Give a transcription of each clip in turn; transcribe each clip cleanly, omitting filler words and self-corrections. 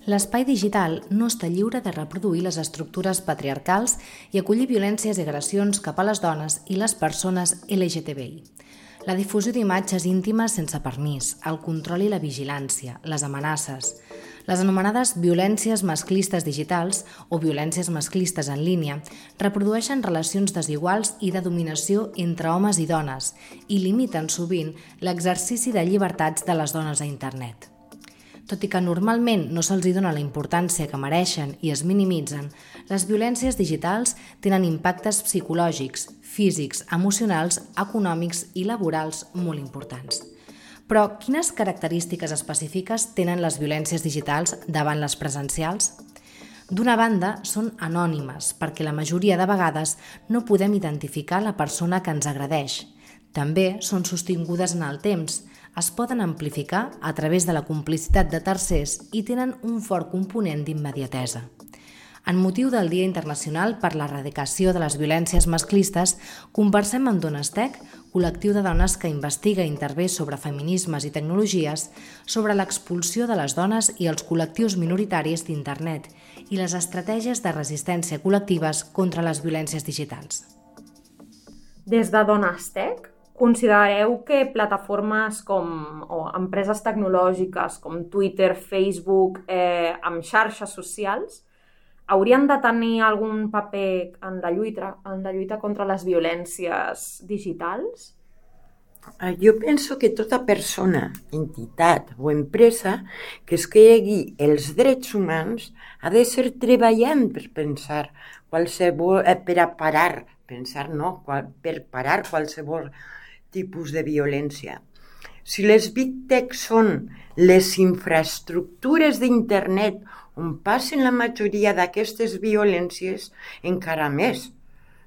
L'espai digital no està lliure de reproduir les estructures patriarcals i acollir violències i agressions cap a les dones i les persones LGTBI. La difusió d'imatges íntimes sense permís, el control i la vigilància, les amenaces, les anomenades violències masclistes digitals o violències masclistes en línia reprodueixen relacions desiguals i de dominació entre homes i dones i limiten sovint l'exercici de llibertats de les dones a internet. Tot i que normalment no se'ls dona la importància que mereixen i es minimitzen, les violències digitals tenen impactes psicològics, físics, emocionals, econòmics i laborals molt importants. Però quines característiques específiques tenen les violències digitals davant les presencials? D'una banda, són anònimes, perquè la majoria de vegades no podem identificar la persona que ens agredeix. També són sostingudes en el temps, es poden amplificar a través de la complicitat de tercers i tenen un fort component d'immediatesa. En motiu del Dia Internacional per l'Erradicació de les Violències Masclistes, conversem amb Donestec, col·lectiu de dones que investiga i intervé sobre feminismes i tecnologies, sobre l'expulsió de les dones i els col·lectius minoritaris d'internet i les estratègies de resistència col·lectives contra les violències digitals. Des de Donestec, considereu que plataformes o empreses tecnològiques com Twitter, Facebook, amb xarxes socials, haurien de tenir algun paper en la lluita contra les violències digitals? Jo penso que tota persona, entitat o empresa que es cregui els drets humans ha de ser treballant per pensar per parar qualsevol tipus de violència. Si les Big Tech són les infraestructures d'internet on passen la majoria d'aquestes violències, encara més,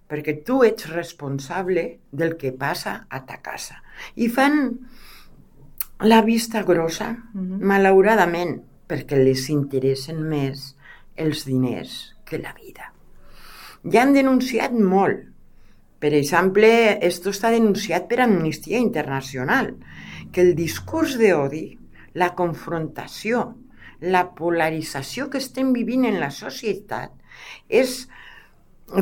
perquè tu ets responsable del que passa a ta casa. I fan la vista grossa, malauradament, perquè les interessen més els diners que la vida. Ja han denunciat molt. Per exemple, esto està denunciat per Amnistia Internacional, que el discurs d'odi, la confrontació, la polarització que estem vivint en la societat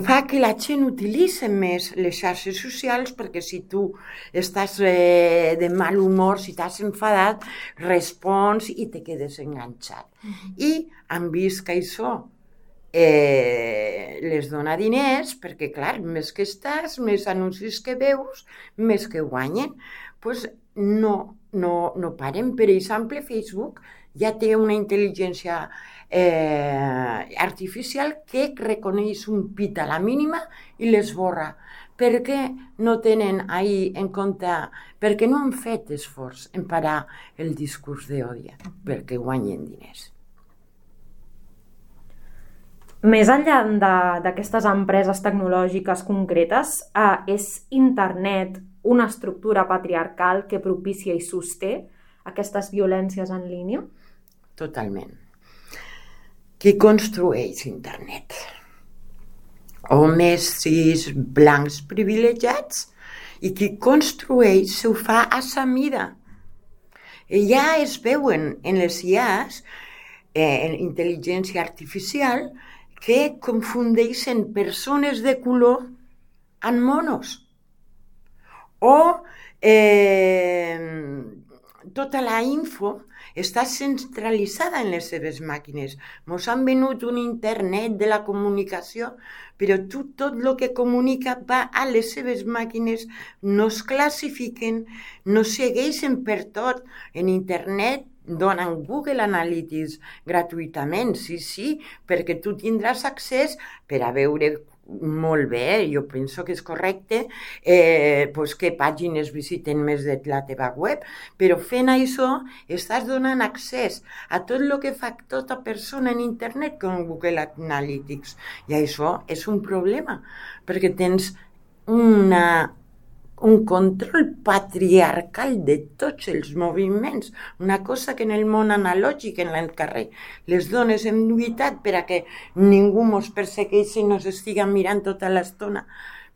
fa que la gent utilitzi més les xarxes socials perquè si tu estàs de mal humor, si t'has enfadat, respons i te quedes enganxat. I han vist que això les dona diners perquè, clar, més que estàs, més anuncis que veus, més que guanyen. Doncs no paren. Per exemple, Facebook ja té una intel·ligència artificial que reconeix un pit a la mínima i l'esborra. Per què no tenen ahir en compte, perquè no han fet esforç en parar el discurs d'odi, perquè guanyen diners. Més enllà d'aquestes empreses tecnològiques concretes, és internet una estructura patriarcal que propicia i sosté aquestes violències en línia? Totalment. Qui construeix internet? Homes cis blancs privilegiats, i qui construeix ho fa a sa mida. Ja es veuen en les IAs, en intel·ligència artificial, que confundeixen persones de color amb monos. O tota la info està centralitzada en les seves màquines. Ens han venut un internet de la comunicació, però tot el que comunica va a les seves màquines, no es classifiquen, no segueixen per tot. En internet donen Google Analytics gratuïtament, sí, perquè tu tindràs accés per a veure molt bé, jo penso que és correcte, que pàgines visiten més de la teva web, però fent això estàs donant accés a tot el que fa tota persona en internet com Google Analytics. I això és un problema, perquè tens un control patriarcal de tots els moviments, una cosa que en el món analògic, en el carrer, les dones hem lluitat per a que ningú ens persegueixi i ens estiga mirant tota l'estona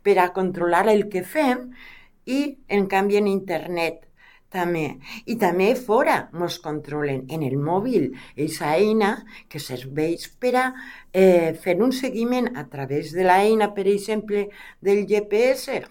per a controlar el que fem, i en canvi en internet també. I també fora ens controlen en el mòbil, aquesta eina que serveix per a fer un seguiment a través de l'eina, per exemple, del GPS,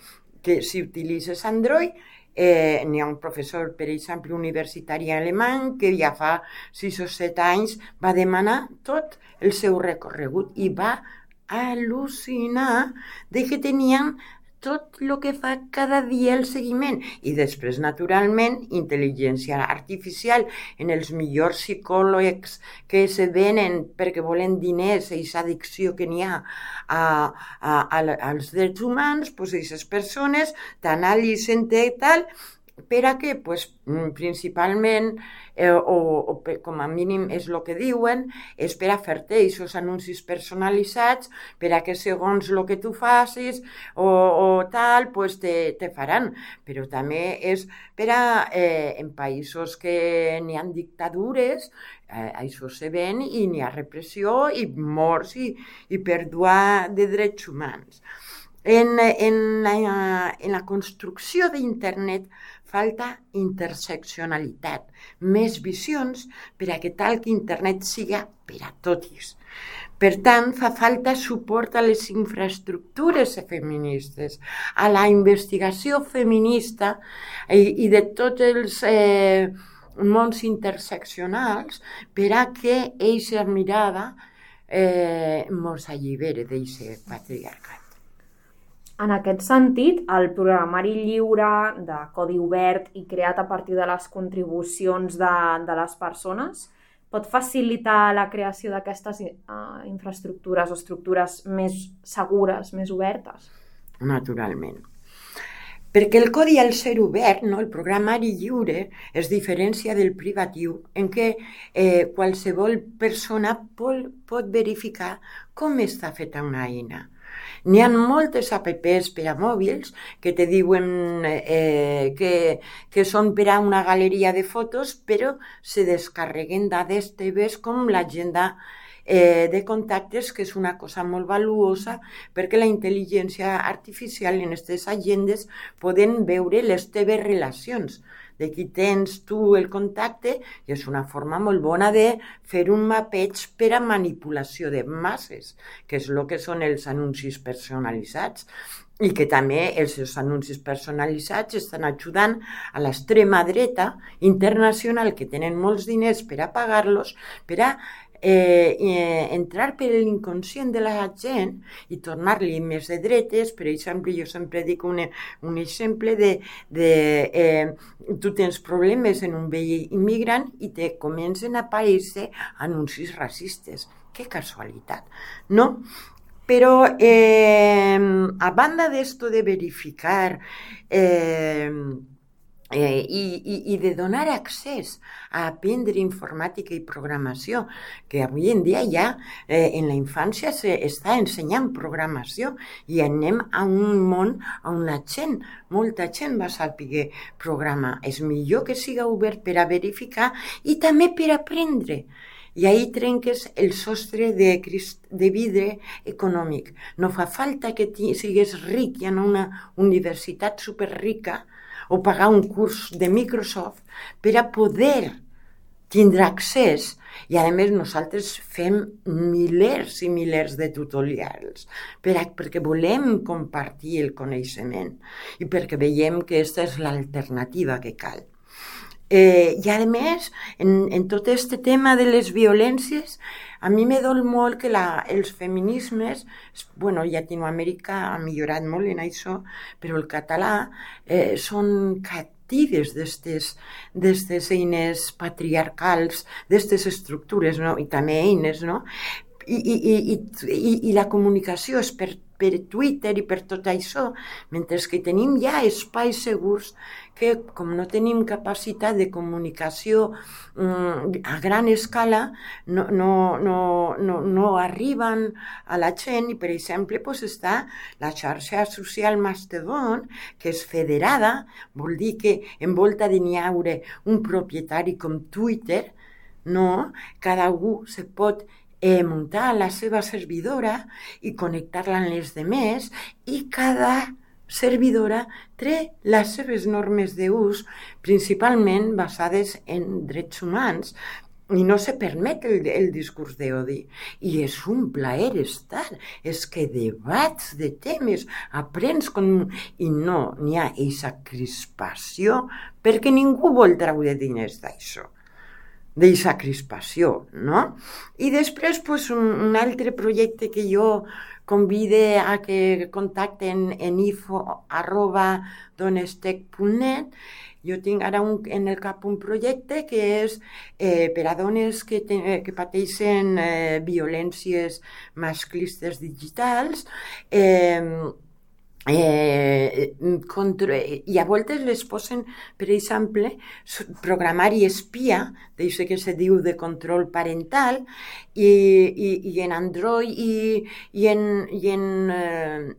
que si utilitzes Android, n'hi ha un professor, per exemple, universitari alemany, que ja fa 6 o 7 anys va demanar tot el seu recorregut i va al·lucinar de que tenien tot el que fa cada dia el seguiment. I després, naturalment, intel·ligència artificial en els millors psicòlegs que se venen perquè volen diners, aquesta addicció que n'hi ha als drets humans, doncs aquestes persones t'analitzen i tal, per a què? Principalment, o com a mínim és el que diuen, és per a fer-te aquests anuncis personalitzats, per a que segons el que tu facis o tal, te faran. Però també és per a, en països que n'hi ha dictadures, això se ven i n'hi ha repressió i morts i pèrdua de drets humans. En la construcció d'internet falta interseccionalitat, més visions per a que tal que internet siga per a tots. Per tant, fa falta suport a les infraestructures feministes, a la investigació feminista i de tots els mons interseccionals per a que aquesta mirada ens allibere d'aquest patriarcat. En aquest sentit, el programari lliure de codi obert i creat a partir de les contribucions de les persones pot facilitar la creació d'aquestes infraestructures o estructures més segures, més obertes? Naturalment. Perquè el codi al ser obert, el programari lliure, es diferencia del privatiu en què qualsevol persona pot verificar com està feta una eina. N'hi ha moltes apps per a mòbils que te diuen que són per a una galeria de fotos, però se descarreguen dades teves com l'agenda de contactes, que és una cosa molt valuosa perquè la intel·ligència artificial en aquestes agendes poden veure les teves relacions, de qui tens tu el contacte, i és una forma molt bona de fer un mapeig per a manipulació de masses, que és el que són els anuncis personalitzats, i que també els seus anuncis personalitzats estan ajudant a l'extrema dreta internacional, que tenen molts diners per a pagar-los, per a entrar per l'inconscient de la gent i tornar-li més de dretes. Per exemple, jo sempre dic un exemple de tu tens problemes en un veí immigrant i te comencen a aparèixer anuncis racistes. Que casualitat, no? Però a banda d'esto de verificar i de donar accés a aprendre informàtica i programació, que avui en dia ja en la infància s'està ensenyant programació i anem a un món on molta gent va saber programar. És millor que siga obert per a verificar i també per aprendre. I ahí trenques el sostre de vidre econòmic. No fa falta que sigues ric i en una universitat superrica o pagar un curs de Microsoft per a poder tindre accés. I a més nosaltres fem milers i milers de tutorials perquè volem compartir el coneixement i perquè veiem que aquesta és l'alternativa que cal. I a més, en tot aquest tema de les violències, a mi me dol molt que els feminismes, Llatinoamèrica ha millorat molt en això, però el català són captives d'aquestes eines patriarcals, d'aquestes estructures, i també eines, no? I la comunicació és per Twitter i per tot això, mentre que tenim ja espais segurs que, com no tenim capacitat de comunicació a gran escala, no arriben a la gent. I, per exemple, està la xarxa social Mastodon, que és federada, vol dir que envolta de n'hi haure un propietari com Twitter, no? Cada un se pot muntar la seva servidora i connectar-la amb les demés, i cada servidora té les seves normes d'ús principalment basades en drets humans i no se permet el discurs d'odi. I és un plaer estar, és que debats de temes, aprens i no n'hi ha aquesta crispació perquè ningú vol treure diners d'això, d'aquesta crispació, no? I després un altre projecte que jo convide a que contacten en info@donestech.net. Jo tinc ara en el cap un projecte que és per a dones que pateixen violències masclistes digitals, i a voltes les posen, per exemple, programari espia, d'això que se diu de control parental, i en Android i en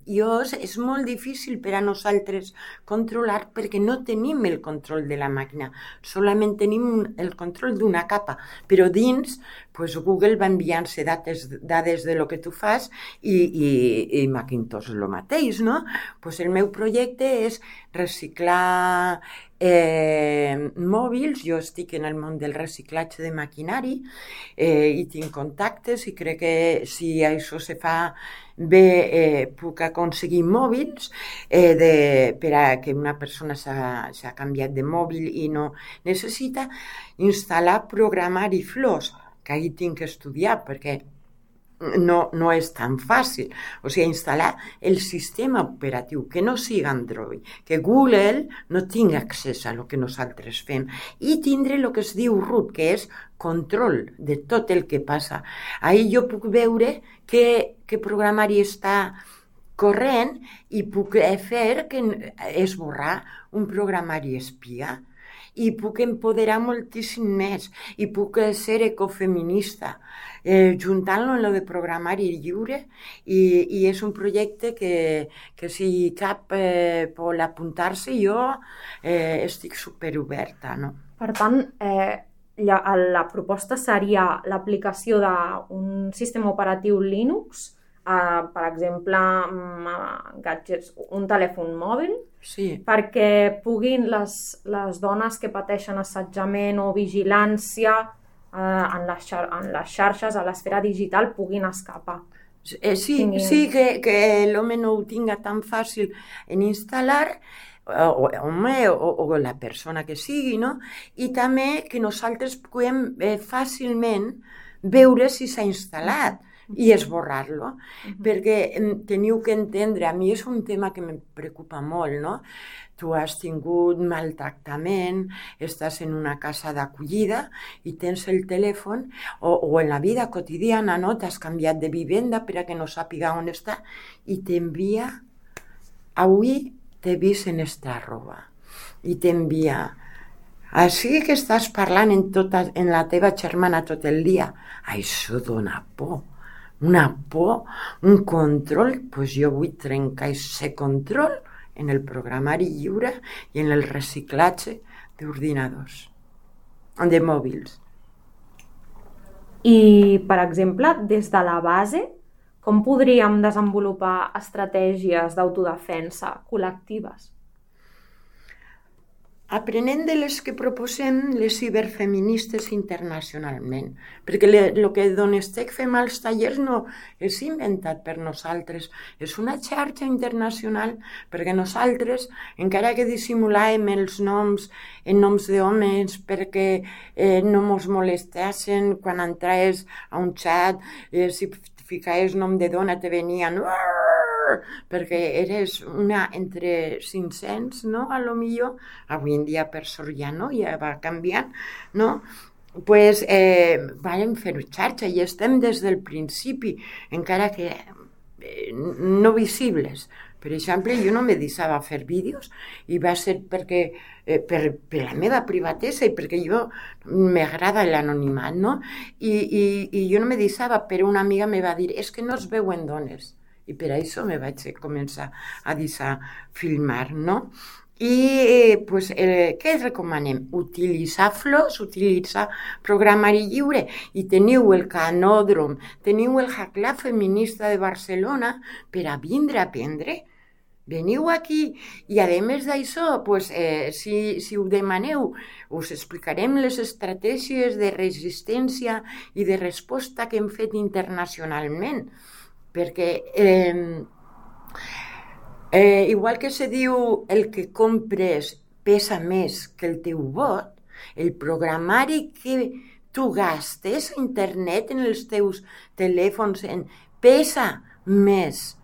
iOS és molt difícil per a nosaltres controlar perquè no tenim el control de la màquina, solament tenim el control d'una capa, però dins Google va enviant-se dades de lo que tu fas i Macintosh el mateix, no? El meu projecte és reciclar mòbils. Jo estic en el món del reciclatge de maquinari i tinc contactes i crec que si això se fa bé puc aconseguir mòbils per a que una persona s'ha canviat de mòbil i no necessita instal·lar programari FLOSS, que ahir tinc que estudiar perquè no és tan fàcil. O sigui, instal·lar el sistema operatiu, que no siga Android, que Google no tingui accés a lo que nosaltres fem, i tindre el que es diu root, que és control de tot el que passa. Ahir jo puc veure que programari està corrent i puc fer que esborrar un programari espia. I puc empoderar moltíssim més i puc ser ecofeminista juntant-lo en lo de programari lliure i és un projecte que si cap vol apuntar-se jo estic superoberta, no? Per tant, la proposta seria l'aplicació d'un sistema operatiu Linux, per exemple, gadgets, un telèfon mòbil, sí, perquè puguin les dones que pateixen assetjament o vigilància en les xarxes, a l'esfera digital, puguin escapar. Sí, que l'home no ho tinga tan fàcil en instal·lar, o la persona que sigui, no? I també que nosaltres puguem fàcilment veure si s'ha instal·lat i esborrar-lo, perquè teniu que entendre, a mi és un tema que em preocupa molt, no? Tu has tingut maltractament, estàs en una casa d'acollida i tens el telèfon, o en la vida quotidiana, no? T'has canviat de vivenda per a que no sàpiga on està i t'envia, avui t'he vist en esta roba, i t'envia, així que estàs parlant en la teva germana tot el dia, això dona por. Una por, un control, doncs jo vull trencar aquest control en el programari lliure i en el reciclatge d'ordinadors, de mòbils. I, per exemple, des de la base, com podríem desenvolupar estratègies d'autodefensa col·lectives? Aprenent de les que proposem les ciberfeministes internacionalment, perquè el que Donestech fem als tallers no és inventat per nosaltres, és una xarxa internacional, perquè nosaltres, encara que dissimulàvem els noms en noms d'homes perquè no mos molestassen quan entraves a un xat, si ficaves nom de dona te venien perquè eres una entre 500, no? A lo millor, avui en dia per sort ja no, ja va canviant, no? Pues vam fer xarxa i estem des del principi, encara que no visibles. Per exemple, jo no me deixava fer vídeos i va ser perquè per la meva privatesa i perquè jo m'agrada l'anonimat, no? I jo no me deixava, però una amiga me va dir és que no es veuen dones. I per això me vaig començar a deixar filmar, no? I què recomanem? Utilitzar FLOSS, utilitzar programari lliure, i teniu el Canòdrom, teniu el Hack Lab feminista de Barcelona per a vindre a aprendre Veniu aquí i, a més d'això, si ho demaneu, us explicarem les estratègies de resistència i de resposta que hem fet internacionalment. Perquè, igual que se diu el que compres pesa més que el teu vot, el programari que tu gastes a internet en els teus telèfons pesa més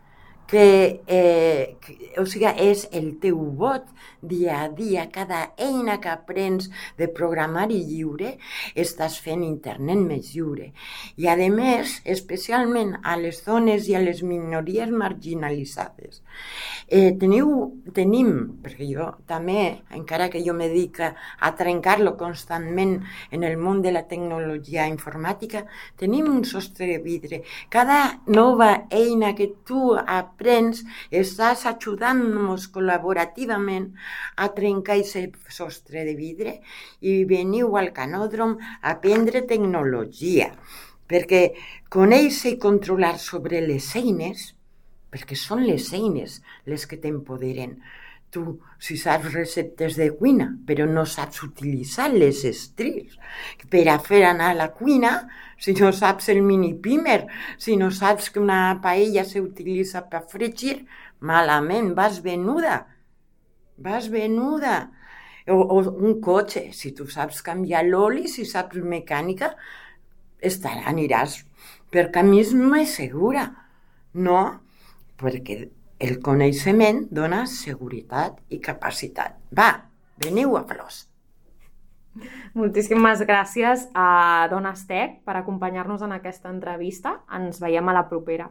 o sigui, és el teu vot dia a dia, cada eina que aprens de programari lliure, estàs fent internet més lliure. I a més, especialment a les dones i a les minories marginalitzades, tenim, perquè jo també, encara que jo me dedico a trencar-lo constantment en el món de la tecnologia informàtica, tenim un sostre de vidre. Cada nova eina que tu aprens, estàs ajudant-nos col·laborativament a trencar aquest sostre de vidre i veniu al Canòdrom a aprendre tecnologia, perquè conèixer i controlar sobre les eines, perquè són les eines les que t'empoderen. Tu, si saps receptes de cuina, però no saps utilitzar les estris per a fer anar a la cuina, si no saps el mini pimer, si no saps que una paella s'utilitza per fregir, malament, vas venuda. O un cotxe, si tu saps canviar l'oli, si saps mecànica, aniràs per camins més segura, no? Perquè el coneixement dona seguretat i capacitat. Va, veniu a Flors. Moltíssimes gràcies a Dones Tech per acompanyar-nos en aquesta entrevista. Ens veiem a la propera.